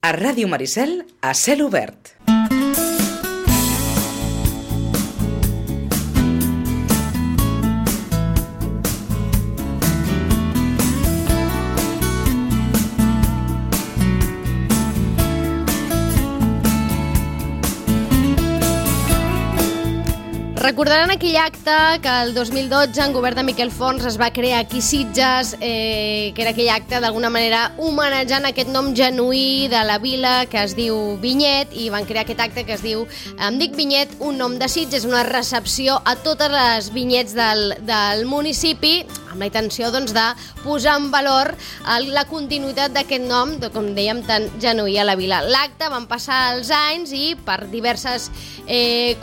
A Ràdio Maricel, a cel obert. Recordaran aquell acte que el 2012 en govern de Miquel Forns es va crear aquí a Sitges, que era aquell acte d'alguna manera homenatjant aquest nom genuí de la vila que es diu Vinyet, i van crear aquest acte que es diu Em dic Vinyet, un nom de Sitges, una recepció a totes les vinyets del municipi, amb la intenció doncs, de posar en valor la continuïtat d'aquest nom, com dèiem, tan genuí a la vila. L'acte van passar els anys i per diverses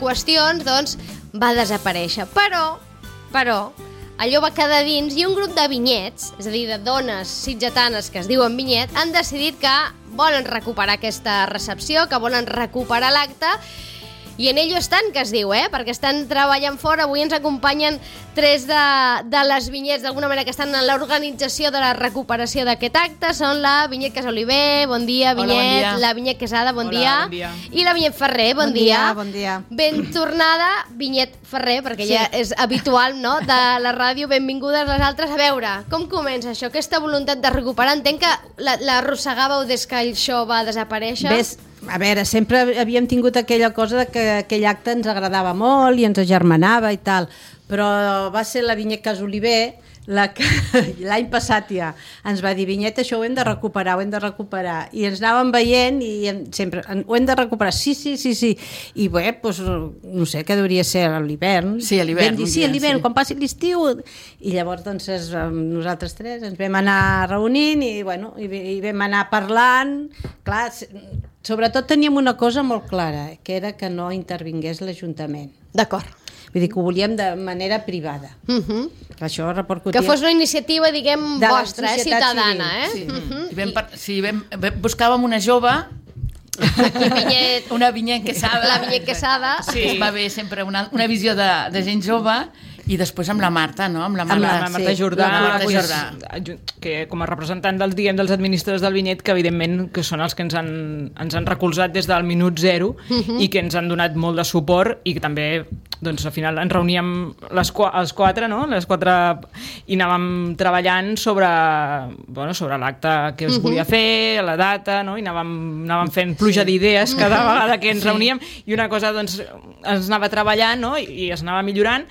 qüestions doncs, va desaparèixer, però allò va quedar dins i un grup de vinyets, és a dir, de dones sitgetanes que es diuen Vinyet, han decidit que volen recuperar aquesta recepció, que volen recuperar l'acte, i en ello estan, que es diu, perquè estan treballant fora. Avui ens acompanyen tres de les vinyets, d'alguna manera, que estan en l'organització de la recuperació d'aquest acte. Són la Vinyet Casoliver, bon dia, Vinyet. Hola, bon dia. La Vinyet Quesada, bon dia. Bon dia. I la Vinyet Ferrer, bon dia. Bon dia. Ben tornada, Vinyet Ferrer, perquè sí, ja és habitual, no?, de la ràdio. Benvingudes les altres. A veure, com comença això? Aquesta voluntat de recuperar, entenc que l'arrossegàveu des que això va desaparèixer. A veure, sempre havíem tingut aquella cosa que aquell acte ens agradava molt i ens agermanava i tal, però va ser la Vinyet Casoliver la que l'any passat ja ens va dir: Vinyet, això ho hem de recuperar, i ens anàvem veient i sempre, ho hem de recuperar, sí, i bé, doncs, no sé, què hauria ser a l'hivern. Sí, a l'hivern. Sí, a l'hivern, quan passi l'estiu. I llavors, doncs, nosaltres tres ens vam anar reunint i vam anar parlant. Clar, sobretot teníem una cosa molt clara, que era que no intervingués l'Ajuntament. D'acord. Vull dir que ho volíem de manera privada. Això repercutia... Que fos una iniciativa, diguem, vostra, ciutadana, Sí, buscàvem una jove, una Vinyet Quesada. La Vinyet Quesada. Sí. Va haver sempre una visió de gent jove. I després amb la Marta, no? Amb la Marta Jordà, que com a representant dels administradors del Vinyet, que evidentment que són els que ens han recolzat des del minut zero i que ens han donat molt de suport, i que també, doncs, al final ens reuníem els quatre, no? Les quatre, i anàvem treballant sobre l'acte que es volia fer, la data, no? I anàvem fent pluja d'idees cada vegada que ens reuníem, i una cosa, doncs, es anava treballant, no? I es anava millorant.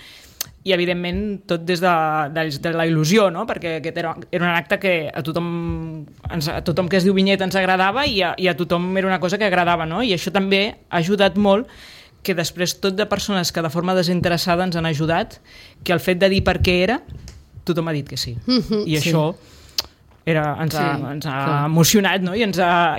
I, evidentment, tot des de la il·lusió, no? Perquè aquest era un acte que a tothom que es diu Vinyet ens agradava, i a tothom era una cosa que agradava, no? I això també ha ajudat molt, que després tot de persones que de forma desinteressada ens han ajudat, que el fet de dir per què era, tothom ha dit que sí. I això... ens ha emocionat, no? I ens ha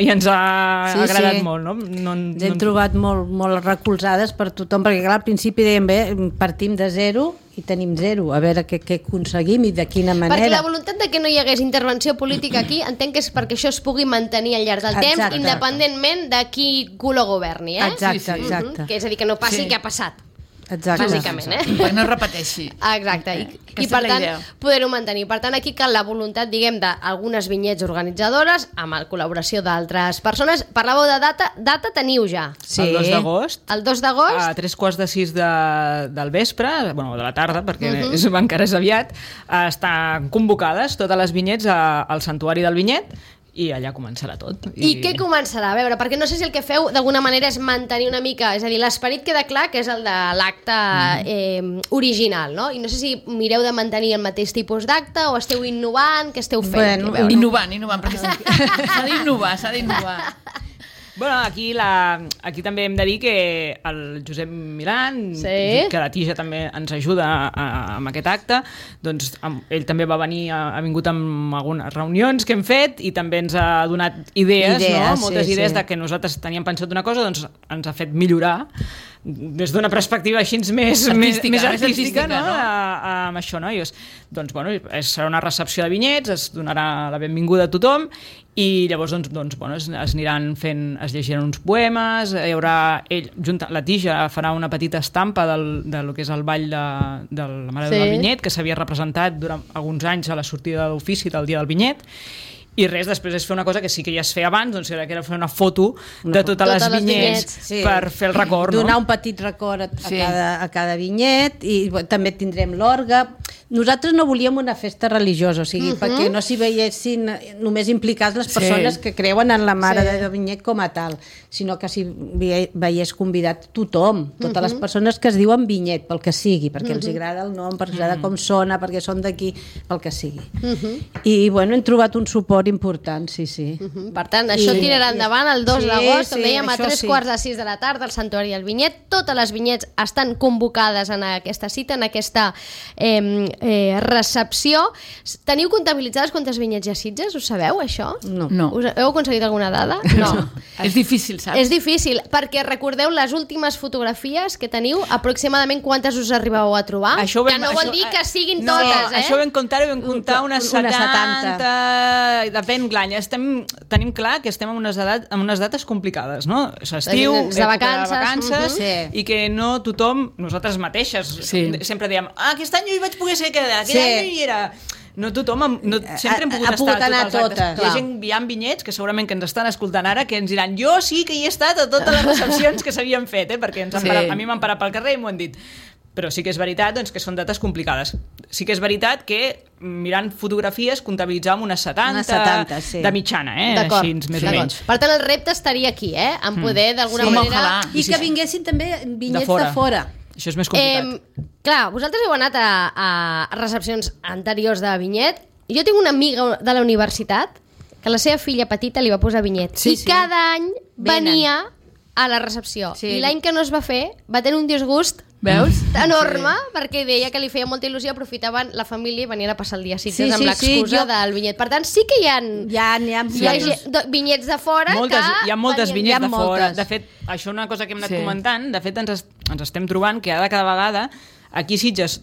agradat molt, no? Ens hem trobat molt recolzades per tothom, perquè clar, al principi dèiem, bé, partim de zero i tenim zero, a veure què aconseguim i de quina manera. Perquè la voluntat de que no hi hagués intervenció política aquí, entenc que és perquè això es pugui mantenir al llarg del temps, independentment de qui color governi, Exacte. Que és a dir, que no passi el que ha passat. Exacte. Bàsicament, perquè no es repeteixi. Exacte, i per tant poder-ho mantenir. Per tant, aquí cal la voluntat, diguem, d'algunes vinyets organitzadores amb la col·laboració d'altres persones. Parlàveu de data teniu ja? Sí. El 2 d'agost. El 2 d'agost? A 3:45 del vespre, de la tarda, perquè encara és aviat, estan convocades totes les vinyets al Santuari del Vinyet, i allà començarà tot. I què començarà? A veure, perquè no sé si el que feu d'alguna manera és mantenir una mica, és a dir, l'esperit queda clar que és el de l'acte original, no? I no sé si mireu de mantenir el mateix tipus d'acte o esteu innovant, què esteu fent? Innovant, perquè s'ha d'innovar. Bueno, aquí també hem de dir que el Josep Milán, que la Tija també ens ajuda amb aquest acte, doncs ell també va venir, ha vingut amb algunes reunions que hem fet i també ens ha donat idees, no? Moltes idees de que nosaltres teníem pensat una cosa, doncs ens ha fet millorar des d'una perspectiva així més artística, no? Amb això, no? Doncs, bueno, serà una recepció de vinyets, es donarà la benvinguda a tothom, i llavors es aniran fent, es llegiran uns poemes, hi haurà la Tija farà una petita estampa del que és el ball de la Mare del Vinyet, que s'havia representat durant alguns anys a la sortida d'ofici del dia del Vinyet, I res, després és fer una cosa que sí que ja es feia abans, doncs que era fer una foto de totes les vinyets per fer el record. Donar un petit record a cada vinyet, i també tindrem l'orgue. Nosaltres no volíem una festa religiosa, o sigui, perquè no s'hi veiessin només implicats les persones que creuen en la Mare de Vinyet com a tal, sinó que s'hi veiés convidat tothom, totes les persones que es diuen Vinyet, pel que sigui, perquè els agrada el nom, perquè els agrada com sona, perquè són d'aquí, pel que sigui. I, bueno, hem trobat un suport important, sí. Per tant, això tirarà endavant el 2 d'agost, com dèiem, a 3:45 de la tarda, al Santuari del Vinyet. Totes les vinyets estan convocades en aquesta cita, en aquesta recepció. Teniu comptabilitzades quantes vinyets hi ha a Sitges? Ho sabeu, això? No. Heu aconseguit alguna dada? No. És difícil, saps? És difícil, perquè recordeu les últimes fotografies que teniu, aproximadament quantes us arribeu a trobar? Que no vol dir que siguin totes, Això ho vam comptar unes 70. Depèn l'any. Tenim clar que estem en unes dates complicades, no? Estiu, de vacances, i que no tothom, nosaltres mateixes, sempre diem, aquest any jo hi vaig poder ser aquest any no hi era. No tothom, sempre hem pogut estar a totes. Hi ha vinyets que segurament que ens estan escoltant ara que ens diran, jo sí que hi he estat a totes les recepcions que s'havien fet, perquè a mi m'han parat pel carrer i m'ho han dit. Però sí que és veritat doncs, que són dates complicades. Sí que és veritat que mirant fotografies comptabilitzàvem unes 70 de mitjana, així més o menys. Per tant, el repte estaria aquí, en poder d'alguna manera... I que vinguessin també vinyets de fora. Això és més complicat. Clar, vosaltres heu anat a recepcions anteriors de vinyet. Jo tinc una amiga de la universitat que la seva filla petita li va posar vinyet. I cada any venia a la recepció. I l'any que no es va fer va tenir un disgust enorme, perquè deia que li feia molta il·lusió, aprofitaven la família i venien a passar el dia a Sitges amb l'excusa del vinyet. Per tant, sí que hi ha vinyets de fora. Hi ha moltes vinyets de fora. De fet, això és una cosa que hem anat comentant. De fet, ens estem trobant que cada vegada aquí a Sitges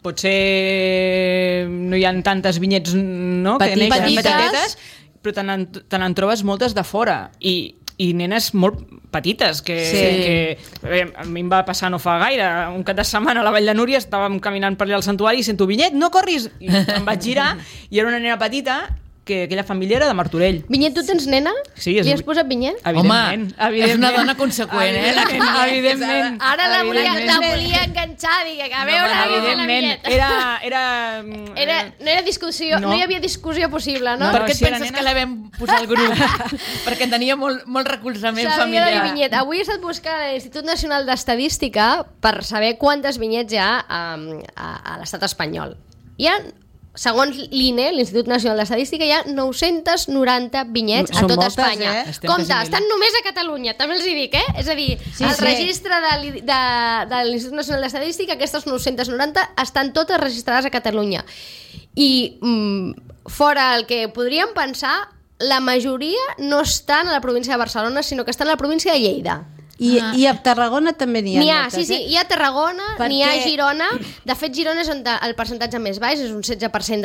potser no hi ha tantes vinyets que neixen petites, però te n'en trobes moltes de fora i nenes molt petites que a mi em va passar no fa gaire, un cap de setmana a la Vall de Núria estàvem caminant per allà al santuari i sento Vinyet, no corris! I em vaig girar i era una nena petita que aquella família era de Martorell. Vinyet, tu tens nena? Sí. Li has posat Vinyet? Evidentment. Home, és una dona conseqüent, Evidentment. Ara la volia enganxar, dic, a veure... Evidentment. No era discussió, no hi havia discussió possible, no? Per què et penses que la vam posar al grup? Perquè tenia molt recolzament familiar. Sabia de Vinyet. Avui he estat buscant a l'Institut Nacional d'Estadística per saber quantes vinyets hi ha a l'estat espanyol. Hi ha... Segons l'INE, l'Institut Nacional d'Estadística, hi ha 990 vinyets a tot Espanya. Compte, estan només a Catalunya, també els hi dic, És a dir, el registre de l'Institut Nacional d'Estadística, aquestes 990 estan totes registrades a Catalunya. I fora el que podríem pensar, la majoria no estan a la província de Barcelona, sinó que estan a la província de Lleida. I a Tarragona també n'hi ha moltes, hi ha a Tarragona, n'hi ha a Girona. De fet, Girona és on el percentatge més baix, és un 16%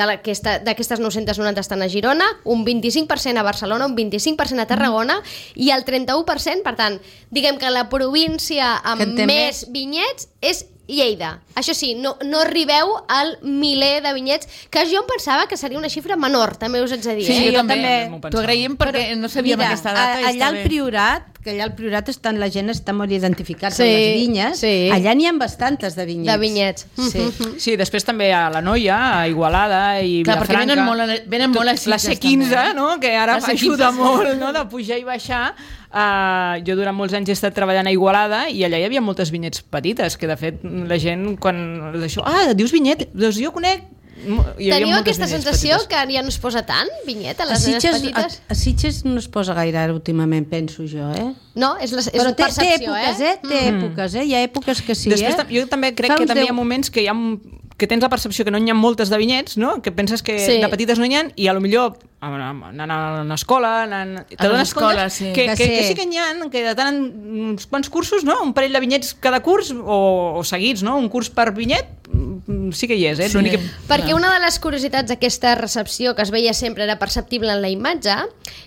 d'aquestes 990 estan a Girona, un 25% a Barcelona, un 25% a Tarragona i el 31%, per tant, diguem que la província amb més vinyets és Lleida. Això sí, no arribeu al miler de vinyets, que jo em pensava que seria una xifra menor, també us haig de dir. Sí, jo també. T'ho agraïm perquè no sabíem aquesta data. Allà al Priorat, que allà al Priorat la gent està molt identificada amb les vinyes, allà n'hi ha bastantes de vinyets. De vinyets. Sí, després també a la Noia, a Igualada i Vilafranca. Perquè venen molt a Sitges. La C15, no? Que ara ajuda molt, no? De pujar i baixar. Jo durant molts anys he estat treballant a Igualada i allà hi havia moltes vinyets petites, que de fet la gent quan d'això, dius vinyet, doncs jo conec. Teniu aquesta sensació que ja no es posa tant vinyet a les nenes petites? A Sitges no es posa gaire ara últimament, penso jo, No, és però percepció, té èpoques, hi ha èpoques que sí, Després, jo també crec que també hi ha moments que que tens la percepció que no n'hi ha moltes de vinyets, no? Que penses que de petites no n'hi ha, i a lo millor anant a l'escola, t'adones compte que sí que n'hi ha, que de tant uns quants cursos, no? Un parell de vinyets cada curs, o seguits, no? Un curs per vinyet, sí que hi és, Sí. Perquè una de les curiositats d'aquesta recepció que es veia sempre era perceptible en la imatge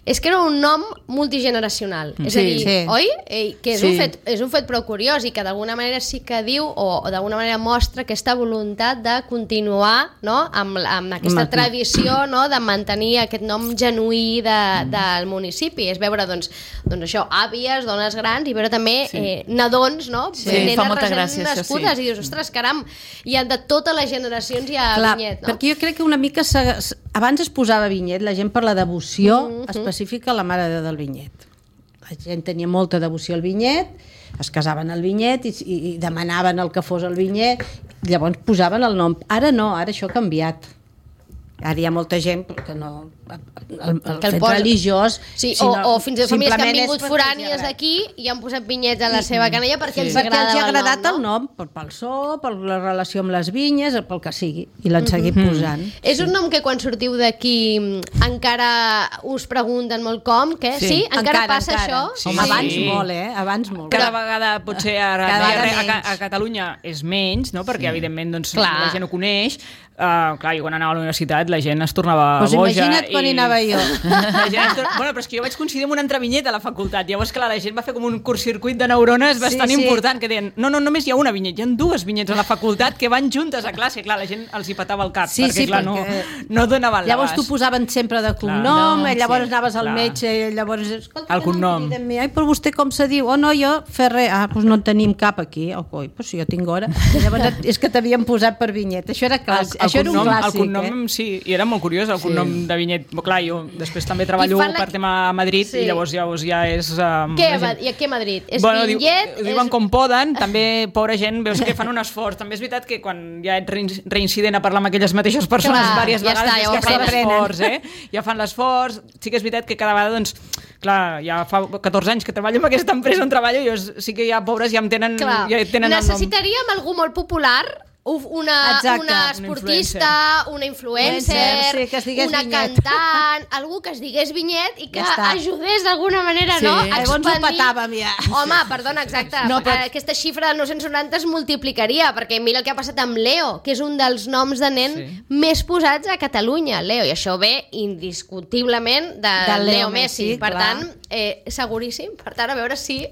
és que era un nom multigeneracional. És a dir, Sí. oi? Que és, Sí. és un fet prou curiós i que d'alguna manera sí que diu o d'alguna manera mostra aquesta voluntat de continuar, no? amb aquesta tradició, no? De mantenir aquest nom genuí del municipi. És veure doncs això, àvies, dones grans i veure també nadons, no? Sí, Nenes fa molta recent gràcia, això sí. nascudes i dius, ostres, caram, hi ha de totes les generacions hi ha Clar, Vinyet, no? perquè jo crec que una mica abans es posava Vinyet, la gent per la devoció específica a la Mare de Déu del Vinyet. La gent tenia molta devoció al Vinyet, es casaven al Vinyet i demanaven el que fos el Vinyet, llavors posaven el nom. Ara no, ara això ha canviat. Ara hi ha molta gent que no... El fet religiós... Sí, si no, o fins i tot famílies que han simplement vingut és perquè forànies els hi d'aquí i han posat vinyets a la seva canella perquè els perquè els hi ha agrada agradat el nom, pel so, per la relació amb les vinyes, pel que sigui, i l'han seguit posant. És un nom que quan sortiu d'aquí encara us pregunten molt com, què? Sí? Encara passa això? Sí. Abans molt, Abans molt. Cada vegada, potser ara Cada vegada a Catalunya és menys, no? Perquè evidentment doncs, Clar. la gent ho coneix. Clar, jo quan anava a la universitat la gent es tornava Pues boja. imagina't quan hi anava jo. La gent bueno, però és que jo vaig coincidir amb una altra vinyeta a la facultat. Llavors, clar, la gent va fer com un curtcircuit de neurones bastant important, que deien, no, només hi ha una vinyeta, hi ha dues vinyetes a la facultat que van juntes a classe. Clar, la gent els hi petava el cap, perquè clar, no donaven l'abast. Llavors t'ho posaven sempre de cognom, llavors anaves al clar. metge, llavors... Escolta, El cognom. Ai, però vostè com se diu? Oh, no, jo, Ferrer. Ah, doncs no en tenim cap aquí. Oh, coi, doncs jo tinc hora. Llavors és que t'havien posat per vinyeta. Això era clàssic. Això era un clàssic, el cognom, sí, i era molt curiós, el cognom de Vinyet. Clar, jo després també treballo per tema a Madrid i llavors ja és... I a què Madrid? És Vinyet? Ho diuen com poden, també, pobra gent, veus que fan un esforç. També és veritat que quan ja ets reincident a parlar amb aquelles mateixes persones diverses vegades, ja que fan l'esforç, ja fan l'esforç. Sí que és veritat que cada vegada, doncs, clar, ja fa 14 anys que treballo en aquesta empresa on treballo, jo sí que ja, pobres, ja em tenen, ja tenen el nom. Necessitaríem algú molt popular, una esportista, una influencer, una cantant, algú que es digués Vinyet i que ajudés d'alguna manera, no? Llavors ho petàvem ja. Home, perdona, exacte. Aquesta xifra del 990 es multiplicaria, perquè mira el que ha passat amb Leo, que és un dels noms de nen més posats a Catalunya, Leo, i això ve indiscutiblement de Leo Messi. Per tant, seguríssim. Per tant, a veure si...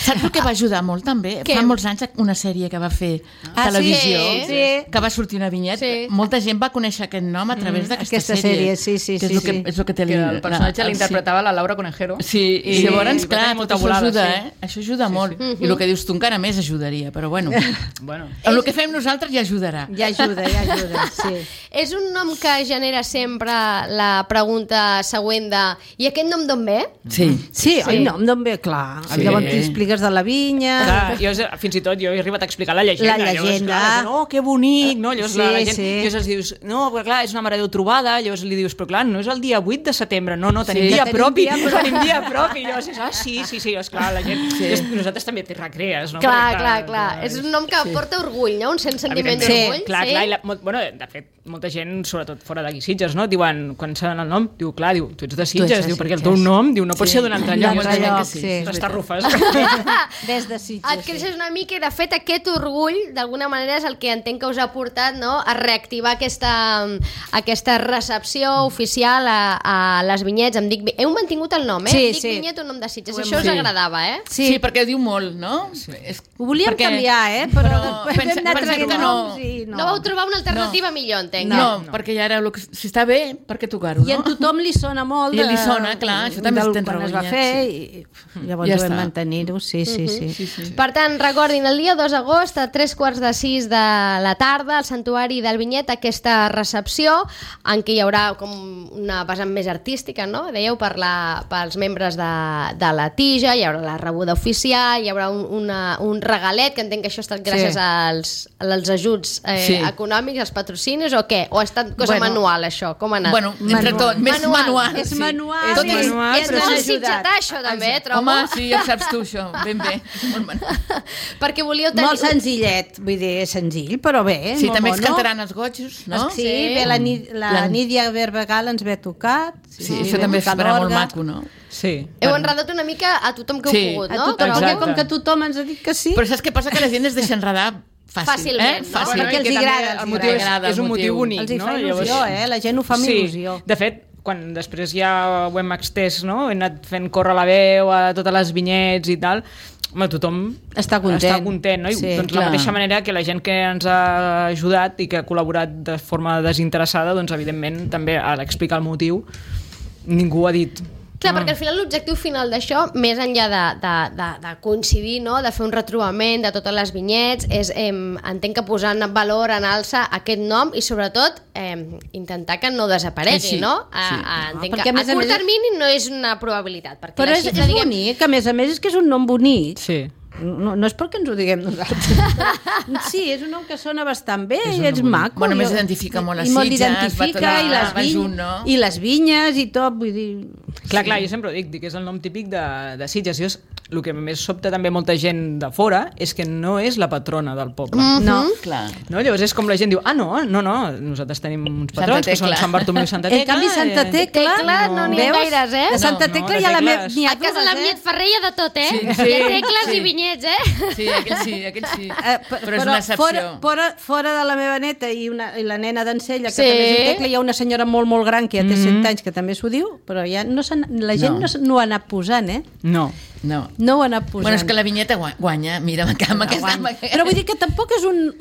Saps el que va ajudar molt, també? Fa molts anys una sèrie que va fer televisió, que va sortir una vinyeta. Molta gent va conèixer aquest nom a través d'aquesta sèrie. Sí. És el que té el personatge l'interpretava la Laura Conejero. Sí, i llavors, clar, tot això ajuda, Això ajuda molt. I el que dius tu encara més ajudaria, però bueno. El que fem nosaltres ja ajudarà. Ja ajuda, sí. És un nom que genera sempre la pregunta següent de i aquest nom d'on ve? Sí, el nom d'on ve, clar. Llavors t'expliques de la vinya... Fins i tot jo he arribat a explicar la llegenda. La llegenda. Oh, que bonic, no? Llavors la gent, llavors els dius, no, però clar, és una Mare de Déu trobada, llavors li dius, però clar, no és el dia 8 de setembre, no, tenim dia propi, tenim dia propi, i llavors sí, esclar, la gent, nosaltres també t'hi recrees, no? Clar, és un nom que porta orgull, no? Un sentiment d'orgull. Clar, de fet, molta gent, sobretot fora d'aquí Sitges, no? Diuen, quan saben el nom, diu, clar, tu ets de Sitges, perquè el teu nom, no pot ser d'un altre lloc. T'estarrufes. Des de Sitges. Et creixes una mica i, de fet, aquest orgull, d'alguna manera, és el que entenc que us ha portat, no?, a reactivar aquesta recepció oficial a les vinyets. Heu mantingut el nom, Dic Vinyet, un nom de Sitges. Això us agradava, Sí, perquè diu molt, no? Ho volíem canviar, però després hem anat traient noms i no vau trobar una alternativa millor, entenc. No, perquè ja era... Si està bé, per què tocar-ho, no? I a tothom li sona molt. I li sona, clar, això també es tens quan es va fer i llavors ho vam mantenir-ho, sí. Per tant, recordin, el dia 2 d'agost a 3:45 de la tarda al Santuari del Vinyet, aquesta recepció en què hi haurà com una vessant més artística, no? Dèieu, pels membres de la tija, hi haurà la rebuda oficial, hi haurà un regalet, que entenc que això ha estat gràcies als ajuts econòmics, als patrocinis, o què? O ha estat cosa manual, això? Com ha anat? Bueno, entre tot, més manual. És manual. És molt sitgetà, això, també, trobo. Home, sí, ja saps tu, això. Ben bé. Perquè volíeu tenir... Molt senzillet, vull dir, és senzill, però bé. Sí, també ens cantaran els gotxos, no? Sí, bé, la Nídia Verbegal ens ve tocat. Sí, això també farà molt maco, no? Sí. Heu enredat una mica a tothom que heu pogut, no? A tothom, com que tothom ens ha dit que sí. Però saps què passa? Que la gent es deixa enredar fàcilment. Fàcil, perquè els agrada. És un motiu bonic. Els hi fa il·lusió, la gent ho fa amb il·lusió. De fet, quan després ja ho hem extès, no? Hem anat fent córrer la veu a totes les vinyets i tal, home, tothom està content, no? I doncs la mateixa manera que la gent que ens ha ajudat i que ha col·laborat de forma desinteressada, doncs evidentment també a explicar el motiu ningú ha dit. Clar, perquè al final l'objectiu final d'això, més enllà de coincidir, no? De fer un retrobament de totes les vinyets, és, entenc que posar en valor, en alça aquest nom i sobretot intentar que no desaparegui, no? Entenc que a curt termini no és una probabilitat. Però és bonic, a més és que és un nom bonic. Sí. No és perquè ens ho diguem nosaltres. Sí, és un nom que sona bastant bé i és maco. Bueno, més identifica molt les Sitges, i les vinyes i tot, vull dir... Clar, jo sempre ho dic que és el nom típic de Sitges. El que més sobta també molta gent de fora és que no és la patrona del poble. No, clar. Llavors és com la gent diu, no, nosaltres tenim uns patrons que són Sant Bartomeu i Santa Tecla. En canvi, Santa Tecla no n'hi ha gaires, De Santa Tecla hi ha a casa la Vinyet Ferrer hi ha de tot, hi ha tecles i vinyets, Sí, aquell sí. Però és una excepció. Fora de la meva neta i la nena d'Encella, que també és Tecla, hi ha una senyora molt, molt gran que ja té 100 anys, que també s'ho diu, però ja la gent no ho ha anat posant, No ho ha anat posant. Bueno, és que la vinyeta guanya, mira, però vull dir que tampoc és un...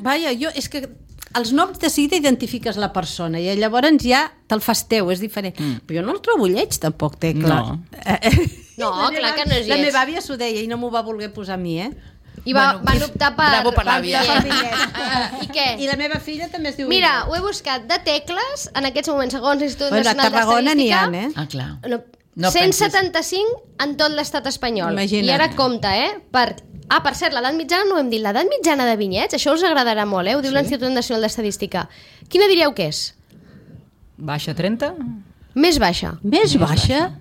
és que els noms de seguida identifiques la persona i llavors ja te'l fas teu, és diferent. Però jo no el trobo lleig, tampoc, Tecla. No, clar que no és lleig. La meva àvia s'ho deia i no m'ho va voler posar a mi, I van optar per... Bravo per l'àvia. I què? I la meva filla també es diu... Mira, ho he buscat de tecles, en aquests moments, segons l'Institut Nacional d'Estadística... A Tarragona n'hi ha, clar. 175 en tot l'estat espanyol. Imagina't. I ara compta, per cert, l'edat mitjana no ho hem dit. L'edat mitjana de vinyets, això us agradarà molt, ho diu l'Institut Nacional d'Estadística. Quina diríeu que és? Baixa, 30? Més baixa. Més baixa?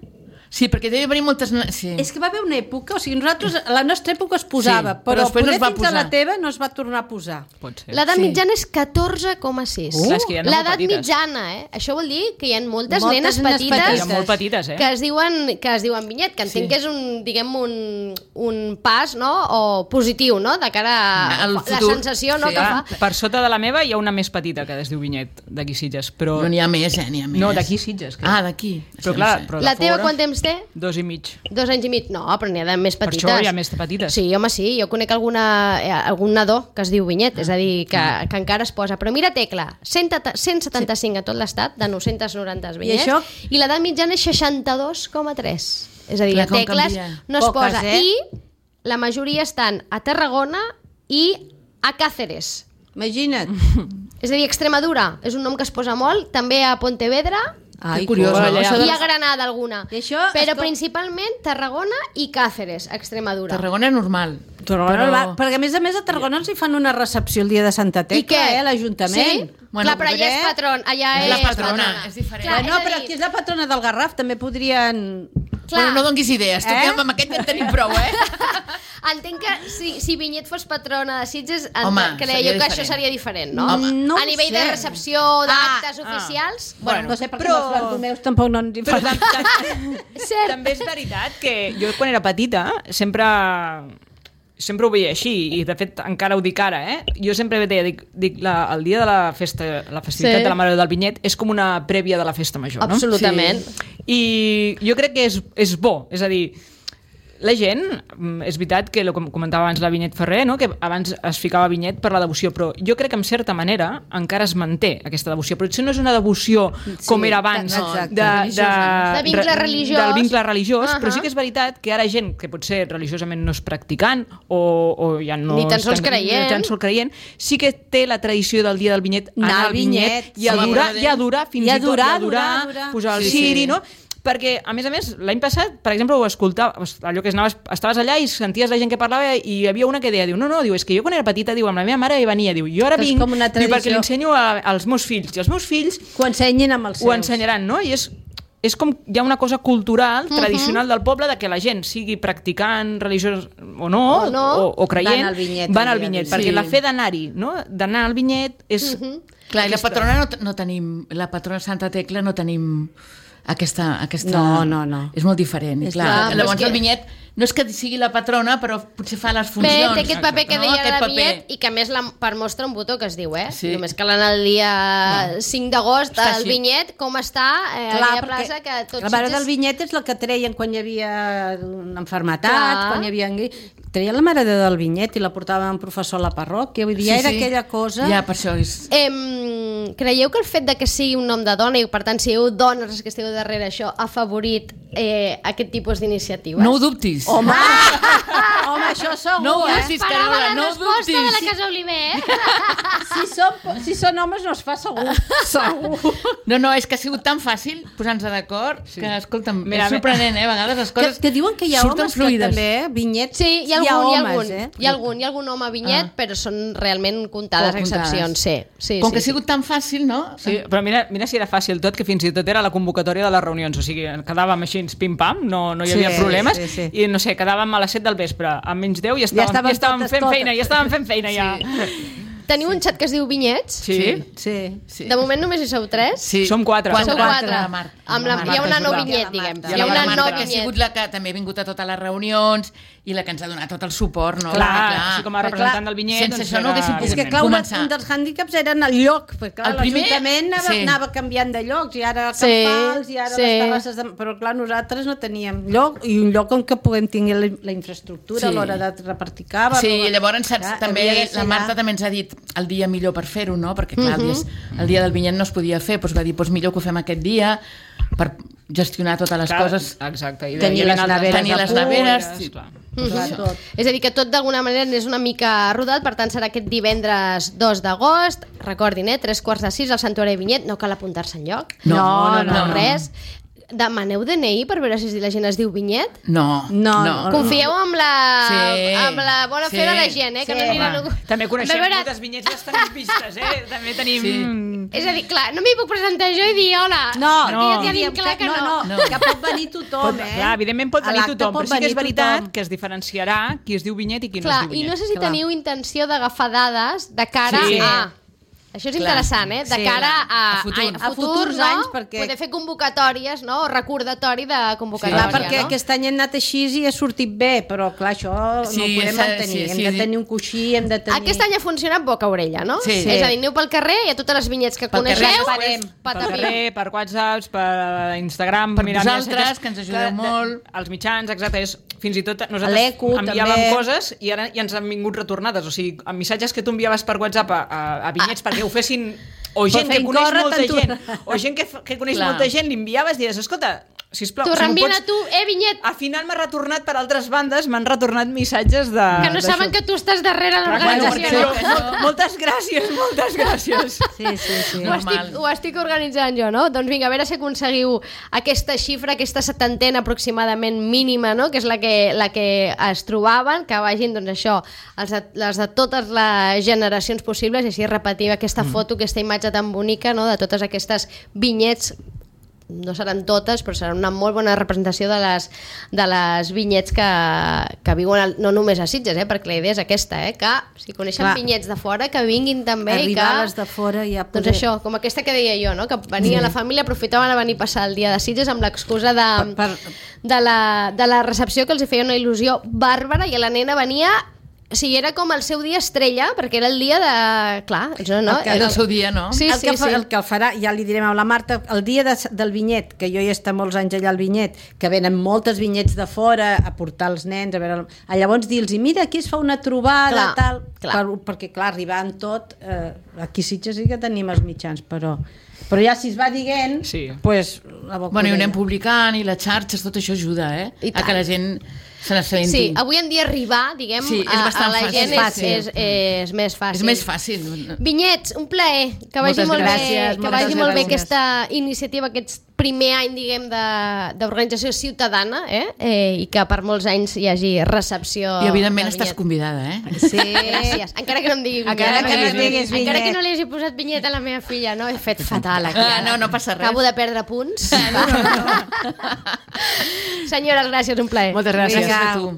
Sí, perquè deve haver moltes... Sí. És que va haver una època, nosaltres, a la nostra època es posava, però després no es va fins a la teva no es va tornar a posar. Pot ser. L'edat mitjana és 14,6. L'edat mitjana, Això vol dir que hi ha moltes nenes petites molt petites, que es diuen vinyet, que entenc que és un pas, no?, o positiu, no?, de cara a la sensació, no?, que fa. Per sota de la meva hi ha una més petita que es diu Vinyet, d'aquí Sitges, però... No n'hi ha més, n'hi ha més. No, d'aquí Sitges. D'aquí. Però clar, la teva quant temps té? 2 i mig. 2 anys i mig? No, però n'hi ha de més petites. Per això hi ha més petites. Sí, home, sí. Jo conec algun nadó que es diu Vinyet, és a dir, que encara es posa. Però mira, Tecla, 175 a tot l'estat, de 990 vinyets, i l'edat mitjana és 62,3. És a dir, a Tecles no es posa. I la majoria estan a Tarragona i a Càceres. Imagina't. És a dir, Extremadura és un nom que es posa molt, també a Pontevedra, curiós, i a Granada alguna, però principalment Tarragona i Càceres, Extremadura. Tarragona normal. Perquè a més a Tarragona els hi fan una recepció el dia de Santa Tecla, l'Ajuntament. Clar, però allà és patron, allà és la patrona, és diferent. No, però aquí és la patrona del Garraf, també podrien... Bueno, no donguis idees, tu que amb aquest ja en tenim prou, Entenc que si Vinyet fos patrona de Sitges, creieu que això seria diferent, no? A nivell de recepció, d'actes oficials... Bueno, no sé, perquè els Bartomeus tampoc no ens hi fan. També és veritat que jo quan era petita sempre ho veia així, i de fet encara ho dic ara, jo sempre deia, el dia de la festivitat de la Mare del Vinyet és com una prèvia de la festa major, no? Absolutament. I jo crec que és bo, és a dir, la gent, és veritat que com comentava abans la Vinyet Ferrer, no? Que abans es ficava Vinyet per la devoció, però jo crec que en certa manera encara es manté aquesta devoció, però potser no és una devoció com era abans de vincle religiós, del vincle religiós, però sí que és veritat que ara gent que potser religiosament no és practicant o ja no ni tan sols creient, sí que té la tradició del dia del Vinyet, anar al Vinyet i adorar, fins i tot adorar, posar el ciri, no? Perquè, a més, l'any passat, per exemple, ho escoltava, allò que estaves allà i senties la gent que parlava i hi havia una que deia, és que jo quan era petita, amb la meva mare hi venia, jo ara vinc, perquè li ensenyo als meus fills, i els meus fills ho ensenyin amb els seus. Ho ensenyaran, no? I és com hi ha una cosa cultural, tradicional del poble, de que la gent sigui practicant religiós o no, o creient, van al Vinyet, perquè la fe d'anar-hi, no? D'anar al Vinyet és... Clar, i la patrona no tenim, la patrona Santa Tecla no tenim... aquesta... No. És molt diferent. Llavors el Vinyet no és que sigui la patrona, però potser fa les funcions. Bé, té aquest paper que deia de la vinyet i que a més per mostra un botó que es diu, només que l'anar el dia 5 d'agost el vinyet, com està a aquella plaça que tots... La mare del vinyet és la que treien quan hi havia una mafermetat, quan hi havia... Treien la mare del vinyet i la portava un professor a la parròquia, vull dir, era aquella cosa... Ja, per això és... Creieu que el fet de que sigui un nom de dona i per tant sigueu dones que esteu darrere això ha afavorit aquest tipus d'iniciatives? No ho dubtis. Home, això segur, no ho dubtis, Carola, no ho dubtis. De la Casa Oliver. Si són homes no es fa segur. No, és que ha sigut tan fàcil posar-nos d'acord que, escolta'm, és sorprenent, a vegades les coses que diuen que hi ha homes fluides. Que també, vinyets, sí, hi ha algun home vinyet, però són realment comptades excepcions, sí. Com que ha sigut tan fàcil, no? Sí, però mira si era fàcil tot, que fins i tot era la convocatòria de les reunions, o sigui, quedàvem així, pim-pam, no hi havia problemes, i no sé, quedàvem a les 7 del vespre, a menys 10 ja estàvem fent feina, ja. Teniu un xat que es diu Vinyets? Sí. De moment només hi sou 3? Sí. Som 4. Sou 4. Hi ha una no vinyet, diguem. Hi ha una no vinyet. Que ha sigut la que també ha vingut a totes les reunions i la que ens ha donat tot el suport, no? Clar. Així com a representant del vinyet. Sense això no haguéssim pogut començar. És que clar, un dels hàndicaps era el lloc, perquè l'Ajuntament anava canviant de llocs, i ara Campals, i ara les terrasses... Però clar, nosaltres no teníem lloc, i un lloc on que puguem tenir la infraestructura a l'hora de repartir cava. Sí, llavors també la Marta també ens ha dit el dia millor per fer-ho, no? Perquè clar, el dia del vinyet no es podia fer, doncs va dir, millor que ho fem aquest dia per gestionar totes les coses. Exacte. I tenir les neveres. És a dir, que tot d'alguna manera és una mica rodat, per tant serà aquest divendres 2 d'agost. Recordin, 3:15 al Santuari de Vinyet, no cal apuntar-se enlloc. No, res. Demaneu DNI per veure si la gent es diu Vinyet? No. Confieu amb la bona fe de la gent, que no aniran... També coneixem moltes vinyets bastant vistes, també tenim... És a dir, clar, no m'hi puc presentar jo i dir hola. No, ja dic clar que no. Que pot venir tothom, Clar, evidentment pot venir tothom, però sí que és veritat que es diferenciarà qui es diu Vinyet i qui no es diu Vinyet. I no sé si teniu intenció d'agafar dades de cara a... Això és interessant, de cara a futurs anys, perquè... poder fer convocatòries, no? O recordatori de convocatòria, no? Perquè aquest any hem anat així i ha sortit bé, però clar, això no ho podem mantenir. Hem de tenir un coixí, hem de tenir... Aquest any ha funcionat boca-orella, no? És a dir, aneu pel carrer i a totes les vinyets que coneixeu... Pel carrer, per WhatsApp, per Instagram... Per vosaltres, que ens ajudeu molt... Els mitjans, exacte, fins i tot nosaltres enviàvem coses i ara ja ens han vingut retornades, o sigui, amb missatges que tu enviaves per WhatsApp a vinyets perquè ho fessin, o gent que coneix molta gent, o gent que coneix molta gent, li enviaves i dius, escolta, sisplau, t'ho reenvien a tu, vinyet. Al final m'ha retornat per altres bandes, m'han retornat missatges de... Que no saben que tu estàs darrere l'organització. Moltes gràcies. Sí. Ho estic organitzant jo, no? Doncs vinga, a veure si aconseguiu aquesta xifra, aquesta 70ena aproximadament mínima, no? Que és la que es trobaven, que vagin, doncs això, les de totes les generacions possibles, i així repetir aquesta foto, aquesta imatge tan bonica, no? De totes aquestes vinyets. No seran totes, però serà una molt bona representació de les vinyets que viuen no només a Sitges, perquè la idea és aquesta, que si coneixen vinyets de fora, que vinguin també. Arribar a les de fora ja poder... Doncs això, com aquesta que deia jo, no? Que venia la família, aprofitaven a venir a passar el dia de Sitges amb l'excusa de la recepció, que els feia una il·lusió bàrbara, i la nena venia... O sigui, era com el seu dia estrella, perquè era el dia de... Clar, no? Era el seu dia, no? El que el farà, ja li direm a la Marta, el dia del vinyet, que jo ja he estat molts anys allà al vinyet, que venen moltes vinyets de fora a portar els nens, llavors dir-los, mira, aquí es fa una trobada, perquè clar, arribant tot, aquí Sitges sí que tenim els mitjans, però ja si es va dient, doncs... Bueno, i ho anem publicant, i les xarxes, tot això ajuda, a que la gent... Sí, avui en dia arribar, diguem, a la gent és més fàcil. És més fàcil. Vinyets, un plaer, que vagi molt bé aquesta iniciativa, aquest primer any, diguem, d'organització ciutadana, i que per molts anys hi hagi recepció. I evidentment estàs convidada, Sí, gràcies. Encara que no em digui vinyet. Encara que no li hagi posat vinyet a la meva filla, no? He fet fatal aquí. No passa res. Acabo de perdre punts. Senyores, gràcies, un plaer. Moltes gràcies. Gràcies a tu.